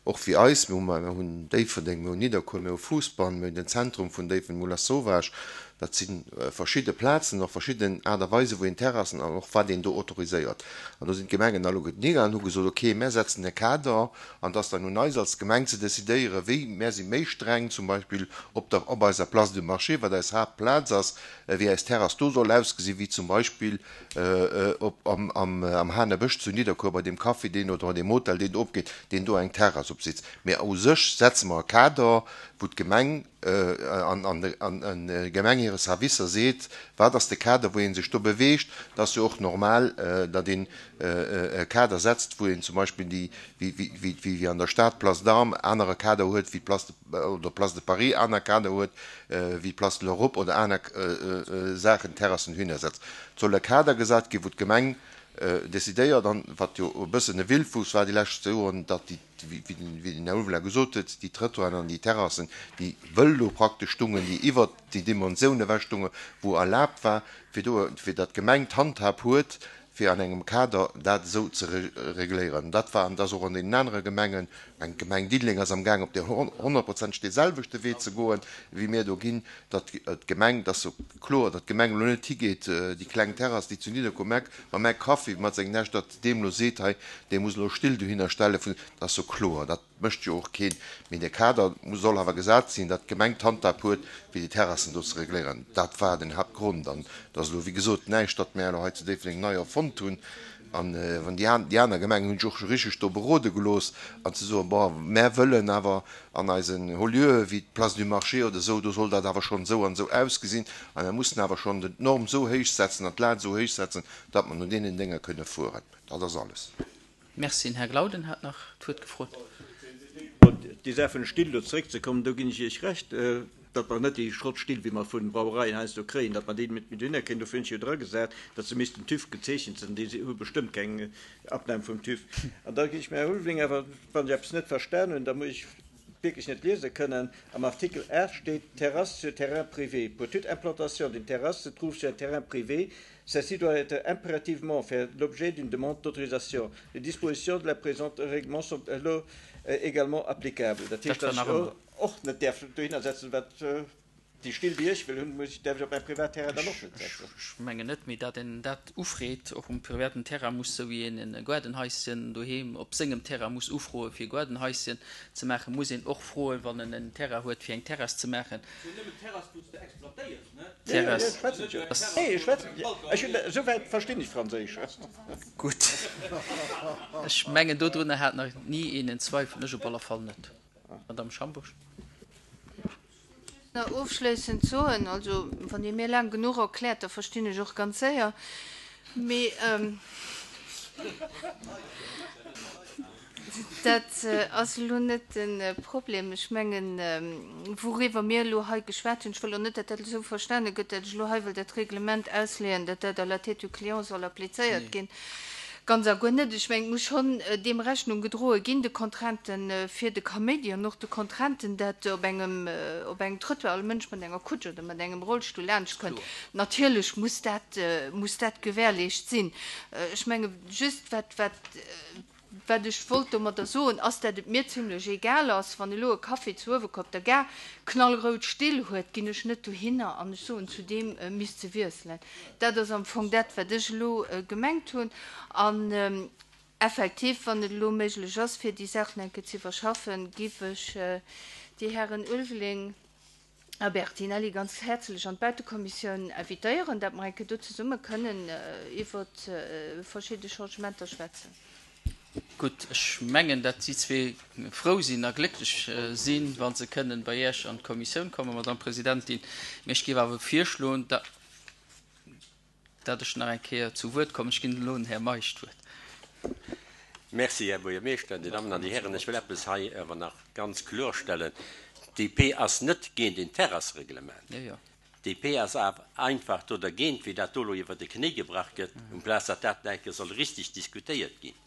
och wéi eis, mir hu mer hunn Déifferdeng, mir hunn Nidderkuer, mir hu Fousbann, mir hunn den Zentrum vun Déifferdeng, Moulin Sauvage, dat si verschidde Plazen, och verschidden Aart a Weisen, wou een Terrassen an och wat een do autoriséiert. An do sinn d'Gemengen alleguerten higaangen an hu gesot, okay, mär setzen e Kader an et ass dann un eis als Gemeng ze decidéieren, wéi mär si méi streng zum Beispill op der, op eiser Place du Marché, wat eis Haaptplaz ass, wéi eis Terrass do soll ausgesinn, wéi zum Beispill op am, am, am Hanebësch zu Nidderkuer bei deem Café, deen oder bei deem Hotel, deen do opgeet, deen do eng Terrass opsitzt. Mä u sech setze mer e Kader, wou d'Gemeng an d'Gemeng hire Servicer seet, wat ass de Kader, wou ee sech do beweegt. Et ass jo och normal, datt een e Kader setzt, wou een zum Beispill déi, wéi an der Stad d'Place d'Armes, anere Kader huet wéi d'Place de, oder d'Place de Paris aner Kader huet wéi d'Place de l'Europe oder aner Saachen, Terrassen dohinner setzt. Et soll e Kader gesat ginn, wou d'Gemeng decidéiert, an wat jo e bëssen e Wildwuchs war déi lescht Joren, datt déi, wéi den Här Ulveling gesot huet, déi Trëttoiren an déi Terrassen, déi wëll do praktesch stungen, déi iwwert déi Dimensioun ewech stungen, wou erlaabt war, fir do, fir datt d'Gemeng d'Handhab huet, fir an engem Kader dat esou ze regléieren. Dat war an dat ass och an deenen anere Gemengen, eng Gemeng Diddeleng ass amgaang op dee honnertprozenteg deeselwechte Wee ze goen, wéi mir do ginn, datt d'Gemeng, dat ass jo kloer, datt d'Gemeng elo net higeet, déi kleng Terrass, déi zu Nidderkuer Mac, mam Mac Kaffi mat sengen Näscht, datt deem elo seet, hei, dee muss elo Still dohinner stellen, dat ass jo kloer, dat mécht jo och keen. Mee de Kader soll awer gesat sinn, datt d'Gemeng d'Handhab huet, fir déi Terrassen do ze regléieren. Dat war den Haaptgrond. An et ass elo, wéi gesot, näischt, datt mir elo hei zu Déifferdeng nei erfonnt hunn. An wann déi an, déi aner Gemengen hunn sech och scho richteg do berode gelooss an ze soen, bon, mär wëllen awer an eisen Haut-lieuë wéi d'Place du Marché oder esou, do soll dat awer schonn esou an esou ausgesinn a mär mussen awer schonn d'Norm esou héich setzen an d'Lat esou héich setzen, datt mer no deenen Dénger kënne fueren. Dat ass alles. Merci. Den Här Glauden hat nach d'Wuert gefrot. Op déi Saach vun de Still do zeréckzekommen, do ginn ech Iech Recht, datt mer net déi Schrottstill, wéi mer vu Brauereien heiansdo kréien, datt mer déi net méi dohinner kréien. Dofir hunn ech jo dragesat, datt se missten TÜV gezeechent sinn. Déi hu bestëmmt keng Abnahme vum TÜV. An da ginn ech dem Här Ulveling awer, wann ech eppes net verstan hunn, da muss ech wierklech net liese kënnen, am Artikel aacht steet, Terrasse sur terrain privé. Pour toute implantation d'une terrasse se trouve sur un terrain privé, celle-ci doit être impérativement faire l'objet d'une demande d'autorisation. Les dispositions de la présente règlement sont alors également applicables. Dat heescht, Dat datt war nach ech ëmmer. och net däerf dohinner setzen, wat déi Still, déi ech wëll hunn, muss ech, däerf ech op mäin Privatterrain dann och net setzen. Ech mengen net, mee datt een dat ufreet och um privaten Terrain muss, sou wéi een e Gaardenhaischen doheem op sengem Terrain muss ufroe fir e Gaardenhaischen ze maachen, muss een och froen, wann en en Terrain huet, fir eng Terrass ze maachen. Terrass ass. Gutt, ech mengen dodrunner hat nach ni een en Zweifel, ech op alle Fall net. Madame Schambourg. Just nach ofschléissend soen, also wann Dir mir laang genuch erkläert, da verstinn ech och ganz séier, mee dat ass elo net de Problem. Ech mengen, wouriwwer mir elo hei geschwat hunn, ech wëll och net, datt dat esou verstane gëtt, datt ech elo hei wëll dat Reglement ausleeën, datt dat à la tête du client soll applizéiert ginn. Ganz a guer net. Ech mengen, et muss schonn deem Rechnung gedroe ginn, de Contrainten fir de Kaméidi an och de Contrainten, dat op engem, op engem Trottoir all Mënsch mat enger Kutsch oder mat engem Rollstull laanscht kënnt. Natierlech muss dat, muss dat gewährleescht sinn. Ech menge just, wat, wat, Wat ech wollt domadder soen, ass, dat et mir zimlech egal ass, wann elo e Café zu Uewerkuer op der Gare knallrout Still huet, ginn ech net dohinner an ech soen, zu deem misst se wiesselen. Dat ass am Fong dat, wat ech elo gemengt hunn. An effektiv, wann et elo méiglech ass, fir déi Saachen eng Kéier ze iwwerschaffen, géif ech déi Hären Ulveling a Bertinelli ganz häerzlech an d'Bautekommissioun invitéieren, dat mer eng Kéier do zesumme kënnen iwwer verschidde Changementer schwätzen. Gutt, ech mengen, dat si zwee frou sinn a glécklech sinn, wa se kënnen bei Iech an d'Kommissioun kommen, Madame Presidentin. Mee ech géif awer virschloen, dat ech nach eng Kéier zu Wuert kommen. Ech ginn elo dem Här Meisch d'Wuert. Merci, Här Buergermeeschter. Dir Dammen an Dir Hären, ech wëll eppes hei awer nach ganz klorstellen. D P ass net géint een Terrassereglement. D P ass awer einfach do dergéint, wéi dat do elo iwwer de Knéi gebrach gëtt, amplaz datt dat nach eng Kéier soll richtig diskutéiert ginn.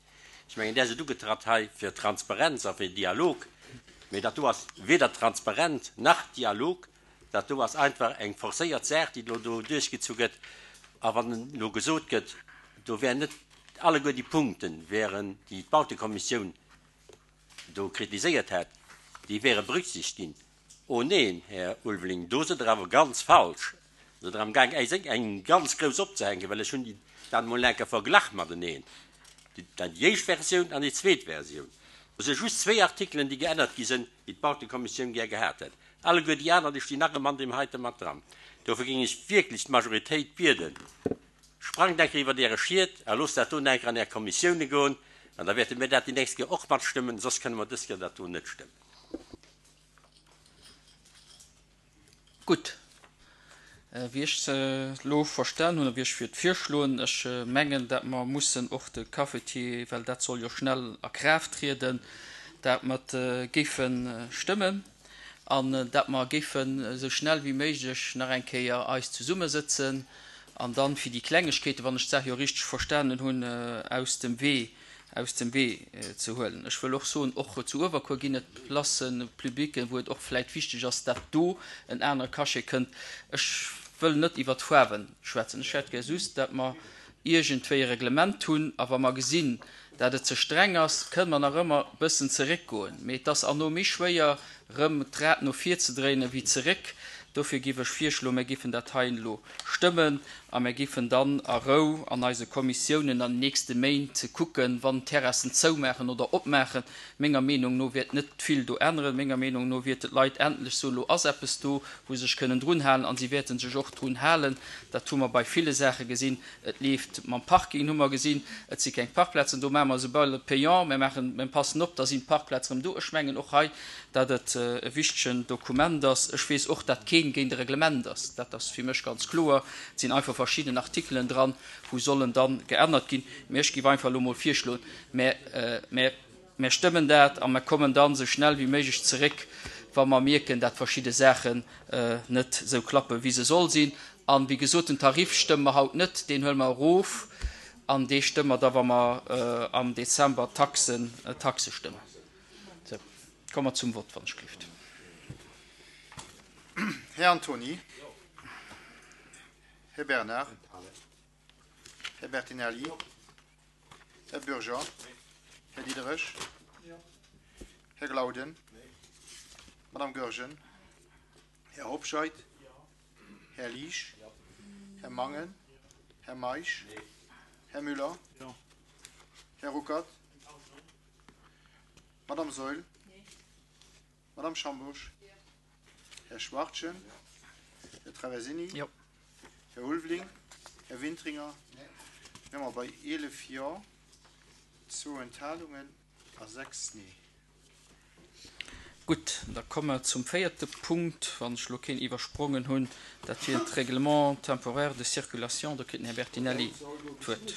Ech mengen, Där sidd ugetratt hei fir Transparenz a fir Dialog, mee dat do ass weder transparent nach Dialog. Dat do ass einfach eng forcéiert Saach, déi elo do duerchgezu gëtt. A wann elo gesot gëtt, do wären net alleguer déi Punkten, wären, déi d'Bautekommissioun do kritiséiert hätt, déi wäre berücksichtigt ginn. Oh neen, Här Ulveling, do sidd Der awer ganz falsch. Do sidd Der amgaang, äis eng ganz grouss opzehänken, well ech hunn déi dann emol eng Kéier verglach mateneen, déi éischt Versioun an déi zweet Versioun. Do si just zwee Artikelen, déi geännert gi sinn, déi d'Bautekommissioun gär gehat hätt. Alleguer déi aner, déi stinn nach ëmmer an deem heite mat dran. Dofir géing ech wierklech d'Majoritéit bieden, Sprangt eng Kéier iwwert Äre Schiet a loosst dat do eng Kéier an Är Kommissioune goen, an da wäerte mir dat déi nächst Kéier och matstëmmen, soss kënne mer dës Kéier dat do net stëmmen. Gutt, wéi ech se elo verstan hunn a wéi ech fir virschloen, ech mengen, dat mer mussen och de Cafetier, well dat soll jo schnell a Kraaft trieden, dat mer géife stëmmen an dat mer géifen esou schnell wéi méiglech nach eng Kéier eis zesummesëtzen an dann fir déi Klengegkeeten, wann ech d'Saach jo richteg verstanen hunn, aus dem Wee, aus dem Wee ze huelen. Ech wëll och soen, och zu Uewerkuer ginn et Placen publiques, wou et och vläicht wichteg ass, dat do en anere Cachet kënnt. Ech wëll net iwwert d'Faarwe schwätzen. Ech hätt gär just, dat mer iergendwéi e Reglement hunn, a wa mer gesinn, dat et ze streng ass, kënne mer nach ëmmer e bëssen zeréckgoen. Mee et ass herno méi schwéier, erëm d'Rad no vir ze dréinen, wéi zeréck. Dofir géif ech virschloen, mir géifen dat hei elo stëmmen a mir géifen dann a Rou an eise Kommissiounen an den nächste Méint kucken, wann d'Terrassen zoumaachen oder opmaachen. Menger Meenung no wäert net vill do änneren. Menger Meenung no wäerten d'Leit endlech soen, elo ass eppes do, wou se sech kënnen drun halen, a si wäerte sech och drun halen. Dat hu mer bei ville Saache gesinn. Et leeft mam Parking, hu mer gesinn, et si keng Parkplazen do, maache mer se bal payant, mir maachen, mir passen op, da sinn d'Parkplaze rëm do. Ech mengen och hei, dat et e wichtegen Dokument ass. Ech weess och, dat keen géint e Reglement ass. Dat ass fir mech ganz kloer. Et sinn einfach verschidden Artikelen dran, wou sollen dann geännert ginn. Mee ech géif einfach elo mol virschloen, mir, mir, mir stëmmen dat a mir kommen dann esou schnell wéi méiglech zeréck, wa mer mierken, dat verschidde Saachen net esou klappen, wéi se soll sinn. An, wéi gesot, den Tarif stëmme mer haut net, deen huele mer erof an dee stëmme mer da, wa mer am Dezember d'Taxen, d'Taxe stëmmen. Sou, komme mer zum Vott, wann ech gelift. Här Antony. Här Bernard. Här Bertinelli. Här Bürger. Här Diderich. Här Glauden. Madame Goergen. Här Hobscheit. Här Liesch. Här Mangen. Här Meisch. Här Müller. Här Ruckert. Madame Saeul. Madame Schambourg. Här Schwartjen. Här Traversini. Här Ulveling. Här Wintringer. Mir hu bei eelef Jo, zwou Enthalungen a sechs Nee. Gutt, da komme mer zum véierte Punkt, wann ech elo keen iwwersprongen hunn, dat wier d'Règlement temporaire de circulation. Do kritt den Här Bertinelli d'Wuert.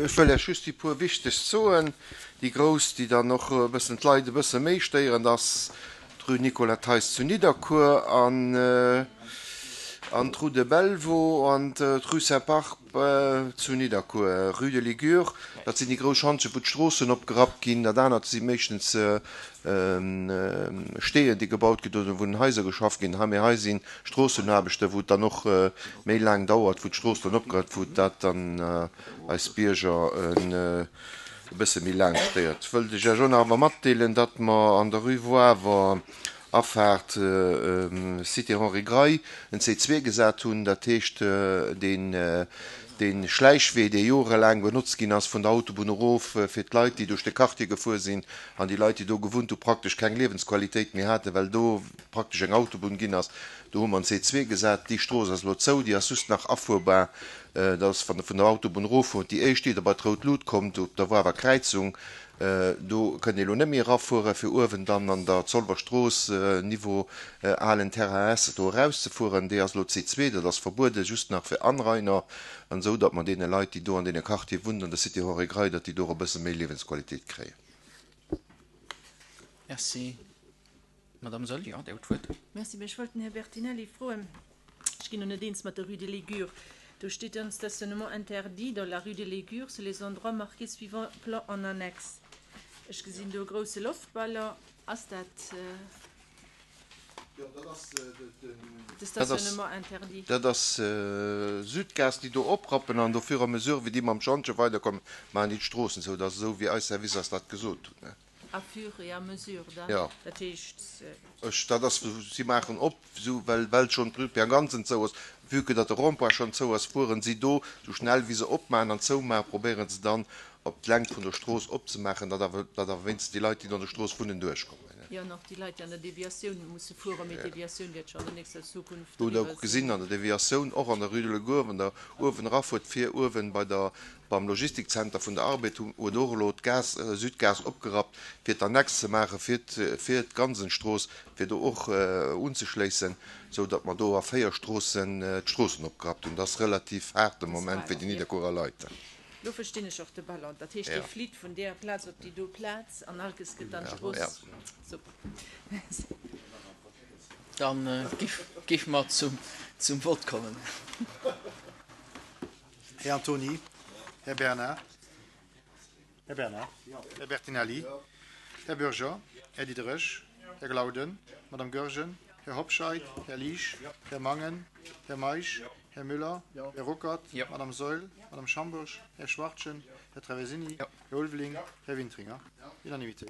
Ech wëll Iech just déi puer wichtegst soen. Déi grouss, déi dann och e bëssen d'Leit e bësse méi stéieren, ass d'Rue Nicolas Theis zu Nidderkuer an an d'Rue de Bellevaux an d'Rue Saint-Parpe zu Nidderkuer, Rue de Ligure, dat sinn déi grouss Schantjen, wou d'Stroossen opgerappt ginn. Dat anert si meeschtens Steeën, déi gebaut ginn oder wou un Haiser geschafft ginn. Hei, mee hei si Stroossenaarbechten, wou et dann och méi laang dauert, wou d'Strooss dann opgerappt, wou dat dann eis Bierger e bësse méi laang stéiert. Wëllt ech Iech och nach awer matdeelen, datt mer an der Rue Woawer, Afaart Cité Henri Grey en C zwee gesat hunn, dat heescht deen dee Schläichwee, dee jorelaang benotzt ginn ass vun der Autobunn erof fir d'Leit, déi duerch de Quartier gefuer sinn an déi Leit, déi do gewunnt hu praktesch keng Liewensqualitéit méi haten, well do praktesch eng Autobunn ginn ass. Do hu mer en C zwee gesat. Déi Strooss ass elo zou, déi ass just nach afuerbar. Dat ass, wann Der vun der Autobunn eroffuert, déi éischt, ier Der bei d'rout Lut kommt, op der Woawer Kräizung. Do kënnt ee elo net méi erafueren, fir uewen dann an der Zolwer Strooss, Niveau alen Terrain S, do erauszefueren. Déi ass elo C zwee, dat ass verbueden, just nach fir Anrainer, an esou datt mer deene Leit, déi do an deene Quartiere wunnen, an der Cité Henri Grey, datt déi do och e bësse méi Liewensqualitéit kréien. Merci. Madame Saeul, jo, Dir hutt d'Wuert. Merci. Mä ech wollt den Här Bertinelli froen, ech ginn elo net eens mat der Rue de Ligure, do steet un stationnement interdit dans la rue de Ligure sur les endroits marqués suivant plan en annexe. Ech gesinn do e grousse Loftballon. Ass dat de Stationnement interdit? Dat ass Südgas, déi do oprappen an do fur et à mesure wéi déi mam Schantje weiderkommen, maachen déi d'Stroossen zou. Dat ass esou wéi eis Servicer eis dat gesot hunn. À fur et à mesure dann, Jo. dat heescht. Ech, dat ass, si maachen op, esou, well, well schonn d'Rue Pierre Gansen zou ass, vue que datt de Rond-point schonn zou ass, fueren si do, esou schnell wéi se opmaachen an zoumaachen, probéieren se dann op d'Längt vun der Strooss opzemaachen, datt awer, datt awer wéinstens déi Leit, déi do an der Strooss wunnen, duerchkommen. Jo, an och déi Leit, déi an der Deviatioun musse fueren, mee d'Deviatioun wäert scho an der nächster Zukunft Do hutt Der eriwwer och gesinn, sinn. an der Deviatioun, och an der Rue de Legour, wann Der uewen erafuert, fir uewen bei der, beim Logistikzenter vun der Arbed, hu huet och elo d'Gas, Südgas opgerappt, fir d'Annex ze maachen, fir fir d'Gansenstrooss, fir do och unzeschléissen, esou datt mer do a véier Stroossen d'Stroossen opgerappt hunn. Dat ass relativ haart de Dat ass Moment fir haart, déi jo. Nidderkuerer Leit. Lo verstinn ech och de Ballon. Dat heescht, dee Ja. flitt vun där Plaz op déi do Plaz an Alkes gëtt dann Ja. d'Strooss. Super. Merci. Dann géife mer zum, zum Vott kommen. Här Antony, Här Bernard, Här Bernard, Här Bertinelli, Här Bürger, Här Diderich, Här Glauden, Madame Goergen, Här Hobscheit, Här Liesch, Här Mangen, Här Meisch, Här Müller, Här Ruckert, Madame Saeul, Madame Schambourg, Här Schwartjen, Här Traversini, Här Ulveling, Här Wintringer. Unanimité.